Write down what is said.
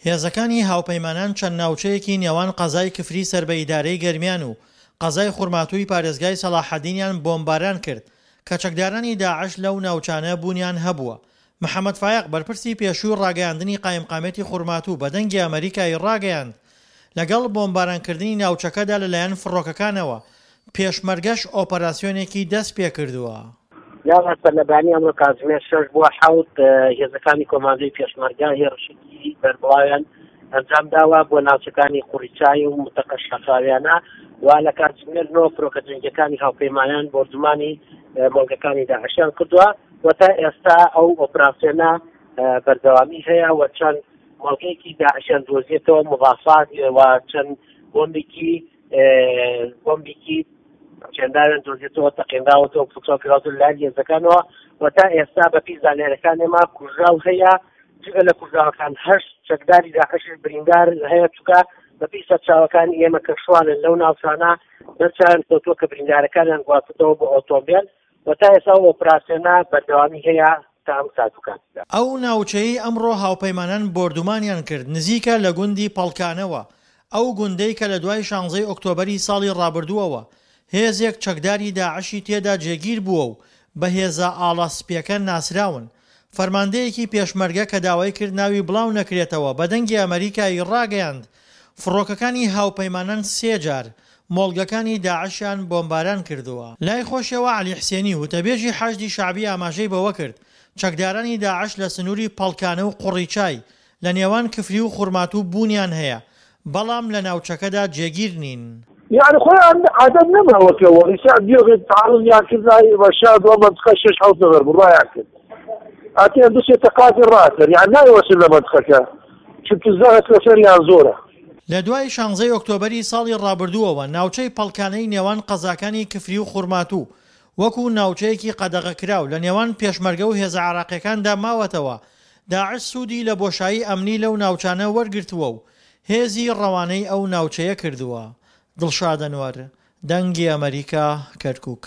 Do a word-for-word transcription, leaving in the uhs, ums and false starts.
هێزەکانی هاوپەیمانان چەند ناوچەیەکی نێوان قەزای کفری سەر بە ئیدارەی گەرمیان و قەزای خورماتووی پارێزگای سەڵاحەدینیان بۆمباران کرد کە چەکدارانی داعش لەو ناوچانە بوونیان هەبووە. محەمەد فایەق بەرپرسی پێشووی ڕاگەیاندنی قایمقامیەتی خورماتوو بە دەنگی ئەمەریکای ڕاگەیاند لەگەڵ بۆمبارانکردنی ناوچەکەدا لەلایەن فڕۆکەکانەوە پێشمەرگەش ئۆپەراسیۆنێکی دەستپێکردووە. یاڵا سەرلەبانی ئەمڕۆ کاتژمێر شەش بۆ حەوت هێزەکانی کۆماندۆی پێشمەرگە هێرشێکی بەربڵاویان ئەنجام داوە بۆ ناوچەکانی قوڕیچای و متەقە شاخاویانە و لە کاتژمێر نۆ فرۆکە جەنگیەکانی هاوپەیمانان بۆردومانی مۆڵگەکانی داعشیان کردووە و تا ئێستا ئەو ئۆپراسیۆنە بەردەوامی هەیە و چەند مۆڵگەیەکی داعشیان دۆزیێتەوە مضافات و چەند بۆمبێکی بۆمبێکی چێنداویان دۆزیێتەوە تەقێنراوەتەوە پوچەڵ کراوەتەوە لەلایەن هێزەکانەوە و تا ئێستا بەپی زانیاریەکان ئێمە کوژراو هەیە، جگە لە کوژراوەکان هەشت چەکداری داعشیش بریندار هەیە، چونکە بەپی سەرچاوەکانی ئێمە کە شوانن لەو ناوچانە دەرچیان کەوتووە کە بریندارەکانیان گواستووەتەوە بۆ ئۆتۆمبێل و تا ئێستا ئەو ئۆپراسیۆنە بەردەوامی هەیە تا ئەم سات و کاتەدا. ئەو ناوچەیەی ئەمڕۆ هاوپەیمانان بۆردومانیان کرد نزیکە لە گوندی پەڵکانەوە، ئەو گوندەی کە لە دوای شانزەی ئۆکتۆبەری ساڵی ڕابردووەوە هێزێک چەکداری داعشی تێدا جێگیر بووە و بە هێزە ئاڵا سپییەکە ناسراون. فەرماندەیەکی پێشمەرگە کە داوای کرد ناوی بڵاو نەکرێتەوە بە دەنگی ئەمەریکای ڕاگەیاند فڕۆکەکانی هاوپەیمانان سێ جار مۆڵگەکانی داعشیان بۆمباران کردووە. لای خۆشیەوە عەلی حسێنی وتەبێژی حەشدی شەعبی ئاماژەی بەوە کرد چەکدارانی داعش لە سنووری پەڵکانە و قوڕیچای لە نێوان کفری و خورماتوو بوونیان هەیە، بەڵام لە ناوچەکەدا جێگیر نین. یەعنی خۆیان عادەت نەماوە کە وەڕیسا بیۆگە تعرضیان کرد لای ڕەشاد و مەنتقە شەش حەوت نەفەر بوو ڕایان کرد ئەتیان دوسێ تەقاتی ڕاکرد یان نایوەسن لە مەنتقەکە چونکە زەغت لەسەریان زۆرە. لە دوای شانزەی ئۆکتۆبەری ساڵی ڕابردووەوە ناوچەی پەڵکانەی نێوان قەزاکانی کفری و خورماتوو وەکو ناوچەیەکی قەدەغەکراو لە نێوان پێشمەرگە و هێزە عێراقیەکاندا ماوەتەوە، داعش سوودی لە بۆشایی ئەمنی لەو ناوچانە وەرگرتووە و هێزی ڕەوانەی ئەو ناوچەیە کردووە. دڵشاد ئەنوەر، دەنگی ئەمەریکا، کەرکوک.